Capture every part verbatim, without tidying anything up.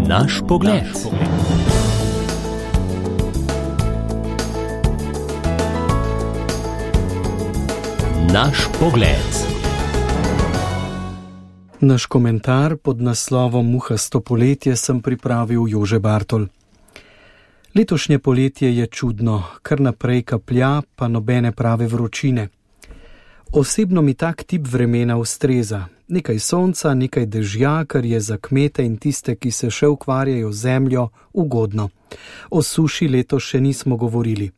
Naš pogled. Naš pogled. Naš komentar pod naslovom Muhasto poletje sem pripravil Jože Bartol. Letošnje poletje je čudno, kar naprej kaplja, pa nobene prave vročine. Osebno mi tak tip vremena ustreza. Nekaj sonca, nekaj dežja, kar je za kmete in tiste, ki se še ukvarjajo z zemljo, ugodno. O suši letos še nismo govorili.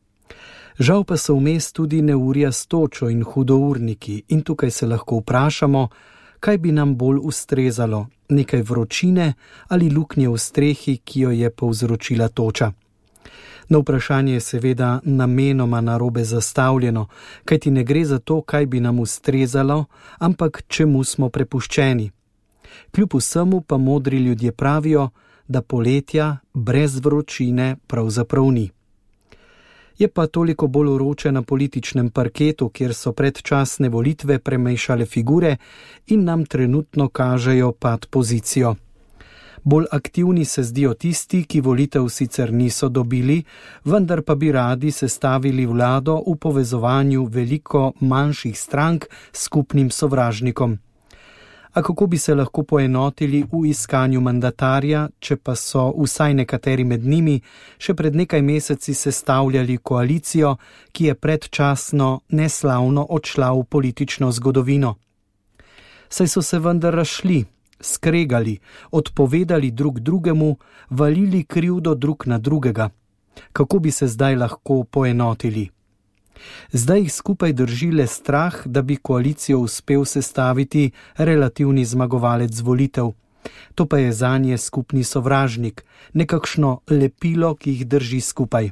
Žal pa so vmes tudi neurja s točo in hudourniki in tukaj se lahko vprašamo, kaj bi nam bolj ustrezalo, nekaj vročine ali luknje v strehi, ki jo je povzročila toča. Na vprašanje je seveda namenoma narobe zastavljeno, kajti ne gre za to, kaj bi nam ustrezalo, ampak čemu smo prepuščeni. Kljub vsemu pa modri ljudje pravijo, da poletja brez vročine pravzaprav ni. Je pa toliko bolj vroče na političnem parketu, kjer so predčasne volitve premešale figure in nam trenutno kažejo pad pozicijo. Bolj aktivni se zdijo tisti, ki volitev sicer niso dobili, vendar pa bi radi sestavili vlado v povezovanju veliko manjših strank s skupnim sovražnikom. A kako bi se lahko poenotili v iskanju mandatarja, če pa so vsaj nekateri med njimi še pred nekaj meseci sestavljali koalicijo, ki je predčasno neslavno odšla v politično zgodovino? Saj so se vendar razšli, skregali, odpovedali drug drugemu, valili krivdo drug na drugega. Kako bi se zdaj lahko poenotili? Zdaj jih skupaj drži le strah, da bi koalicijo uspel sestaviti relativni zmagovalec volitev. To pa je zanje skupni sovražnik, nekakšno lepilo, ki jih drži skupaj.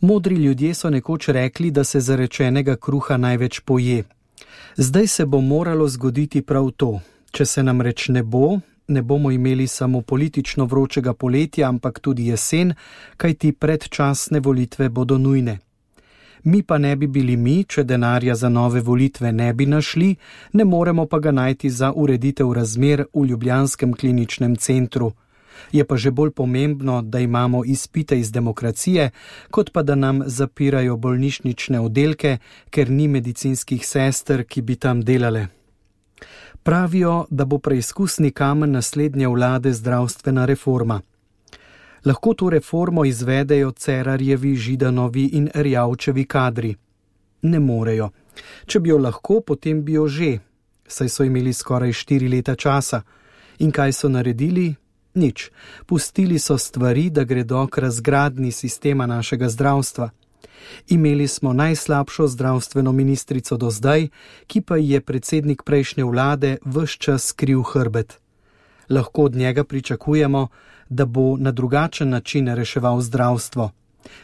Modri ljudje so nekoč rekli, da se zarečenega kruha največ poje. Zdaj se bo moralo zgoditi prav to. Če se nam reč ne bo, ne bomo imeli samo politično vročega poletja, ampak tudi jesen, kajti predčasne volitve bodo nujne. Mi pa ne bi bili mi, če denarja za nove volitve ne bi našli, ne moremo pa ga najti za ureditev razmer v ljubljanskem kliničnem centru. Je pa že bolj pomembno, da imamo izpite iz demokracije, kot pa da nam zapirajo bolnišnične oddelke, ker ni medicinskih sester, ki bi tam delale. Pravijo, da bo preizkusni kamen naslednje vlade zdravstvena reforma. Lahko to reformo izvedejo Cerarjevi, Židanovi in Erjavčevi kadri. Ne morejo. Če bi jo lahko, potem bi jo že, saj so imeli skoraj štiri leta časa. In kaj so naredili? Nič. Pustili so stvari, da gredo k razgradnji sistema našega zdravstva. Imeli smo najslabšo zdravstveno ministrico do zdaj, ki pa je predsednik prejšnje vlade ves čas skril hrbet. Lahko od njega pričakujemo, da bo na drugačen način reševal zdravstvo.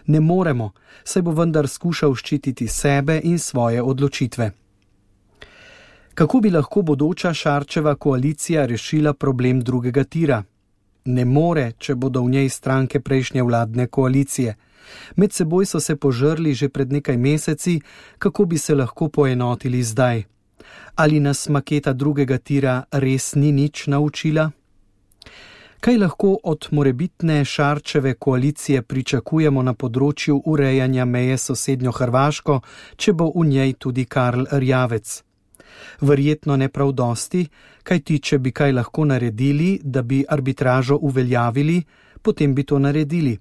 Ne moremo, saj bo vendar skušal ščititi sebe in svoje odločitve. Kako bi lahko bodoča Šarčeva koalicija rešila problem drugega tira? Ne more, če bodo v njej stranke prejšnje vladne koalicije. Med seboj so se požrli že pred nekaj meseci, kako bi se lahko poenotili zdaj. Ali nas maketa drugega tira res ni nič naučila? Kaj lahko od morebitne Šarčeve koalicije pričakujemo na področju urejanja meje s sosednjo Hrvaško, če bo v njej tudi Karl Erjavec? Verjetno ne prav dosti, kajti če bi kaj lahko naredili, da bi arbitražo uveljavili, potem bi to naredili.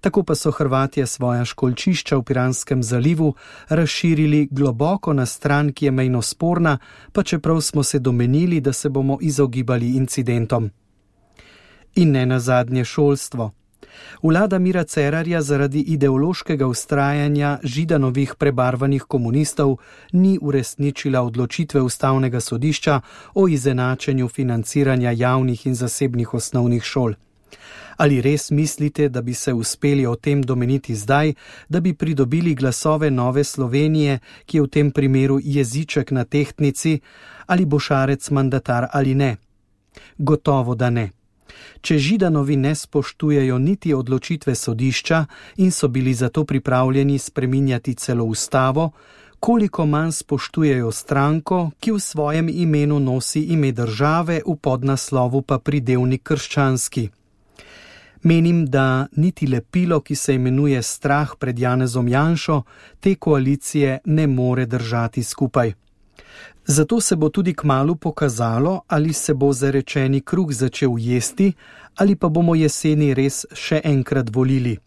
Tako pa so Hrvatje svoja školjčišča v Piranskem zalivu razširili globoko na stran, ki je mejno sporna, pa čeprav smo se domenili, da se bomo izogibali incidentom. In ne nazadnje šolstvo. Vlada Mira Cerarja zaradi ideološkega vztrajanja Židanovih prebarvanih komunistov ni uresničila odločitve Ustavnega sodišča o izenačenju financiranja javnih in zasebnih osnovnih šol. Ali res mislite, da bi se uspeli o tem domeniti zdaj, da bi pridobili glasove Nove Slovenije, ki je v tem primeru jeziček na tehtnici, ali bo Šarec mandatar ali ne? Gotovo, da ne. Če Židanovi ne spoštujejo niti odločitve sodišča in so bili zato pripravljeni spreminjati celo ustavo, koliko manj spoštujejo stranko, ki v svojem imenu nosi ime države, v podnaslovu pa pridevnik krščanski. Menim, da niti lepilo, ki se imenuje strah pred Janezom Janšo, te koalicije ne more držati skupaj. Zato se bo tudi kmalu pokazalo, ali se bo zarečeni kruh začel jesti, ali pa bomo jeseni res še enkrat volili.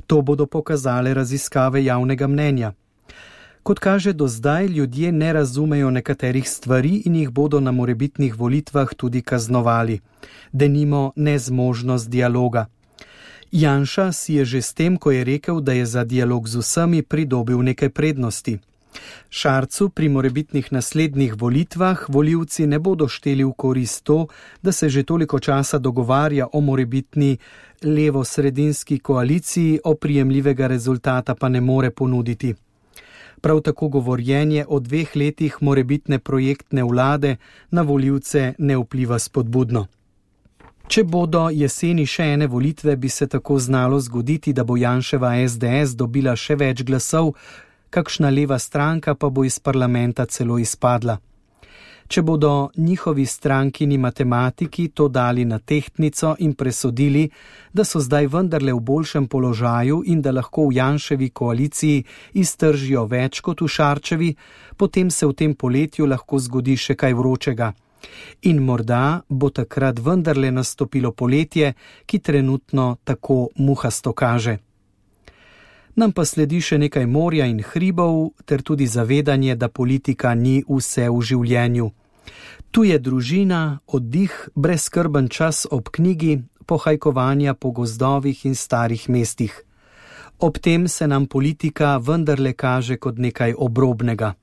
To bodo pokazale raziskave javnega mnenja. Kot kaže do zdaj, ljudje ne razumejo nekaterih stvari in jih bodo na morebitnih volitvah tudi kaznovali. Denimo nezmožnost dialoga. Janša si je že s tem, ko je rekel, da je za dialog z vsemi, pridobil nekaj prednosti. Šarcu pri morebitnih naslednjih volitvah volivci ne bodo šteli v korist to, da se že toliko časa dogovarja o morebitni levo-sredinski koaliciji, oprijemljivega rezultata pa ne more ponuditi. Prav tako govorjenje o dveh letih morebitne projektne vlade na volivce ne vpliva spodbudno. Če bodo jeseni še ene volitve, bi se tako znalo zgoditi, da bo Janševa es de es dobila še več glasov, kakšna leva stranka pa bo iz parlamenta celo izpadla. Če bodo njihovi strankini matematiki to dali na tehtnico in presodili, da so zdaj vendarle v boljšem položaju in da lahko v Janševi koaliciji iztržijo več kot v Šarčevi, potem se v tem poletju lahko zgodi še kaj vročega. In morda bo takrat vendarle nastopilo poletje, ki trenutno tako muhasto kaže. Nam pa sledi še nekaj morja in hribov, ter tudi zavedanje, da politika ni vse v življenju. Tu je družina, oddih, brezskrben čas ob knjigi, pohajkovanja po gozdovih in starih mestih. Ob tem se nam politika vendarle kaže kot nekaj obrobnega.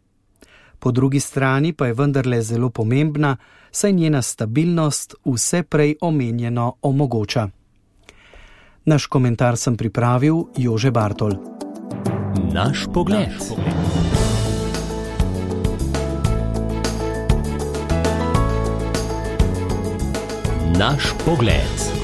Po drugi strani pa je vendarle zelo pomembna, saj njena stabilnost vse prej omenjeno omogoča. Naš komentar sem pripravil Jože Bartol. Naš pogled. Naš pogled.